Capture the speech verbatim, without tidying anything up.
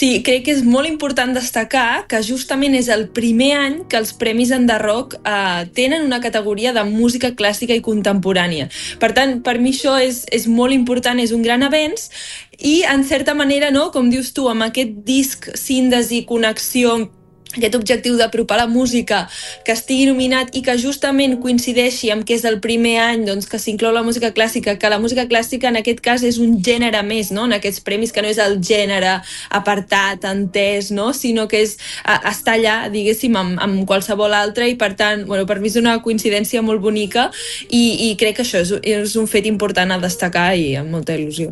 Sí, crec que és molt important destacar que justament és el primer any que els Premis Enderrock eh, tenen una categoria de música clàssica i contemporània. Per tant, per mi això és, és molt important, és un gran avenç i, en certa manera, no, com dius tu, amb aquest disc síntesi, connexió, aquest objectiu d'apropar la música, que estigui nominat i que justament coincideixi amb que és el primer any doncs, que s'inclou la música clàssica, que la música clàssica en aquest cas és un gènere més, no? En aquests premis, que no és el gènere apartat, entès, no? Sinó que és, a, està allà, diguéssim, amb, amb qualsevol altre, i per tant, bueno, per mi és una coincidència molt bonica i, i crec que això és, és un fet important a destacar i amb molta il·lusió.